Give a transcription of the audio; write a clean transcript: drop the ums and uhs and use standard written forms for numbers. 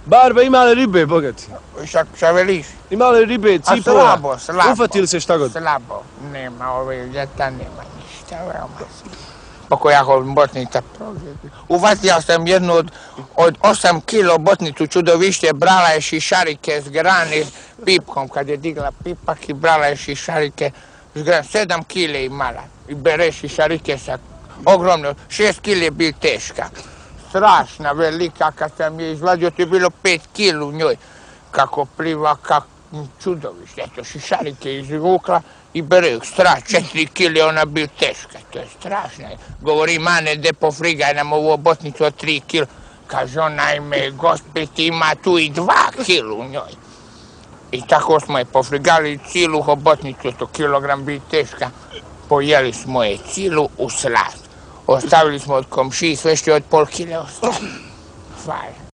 Barba, ima li ribe, bogati? Šta veliš? Ima li ribe, cipova? Slabo. Ufatili se šta god? Slabo. Nema ove ljeta, nema ništa, veoma slabo. Pako ja hoću botnica prožeti. Uvatio sam jednu od 8 kilo botnicu čudovište, brala je šišarike s grane pipkom, kad je digla pipak i brala je šišarike s grane, 7 kile imala. I bere šišarike sa ogromno, 6 kile je bil teška. Strašna, velika, kad sam je izvadio, to je bilo 5 kila u njoj. Kako pliva, kako čudovište, eto, šišarike je izvukla i bere, straš, 4 kile ona bil teška, to je strašno. Govori, mane, de pofrigaj nam ovu botnicu od 3 kila. Kaže, onajme, gospet ima tu i 2 kila u njoj. I tako smo je pofrigali cilu hobotnicu, to kilogram bi teška. Pojeli smo je cilu u slast. Ostavili smo od komšiji sve što je od pol kile ostalo. Hvala.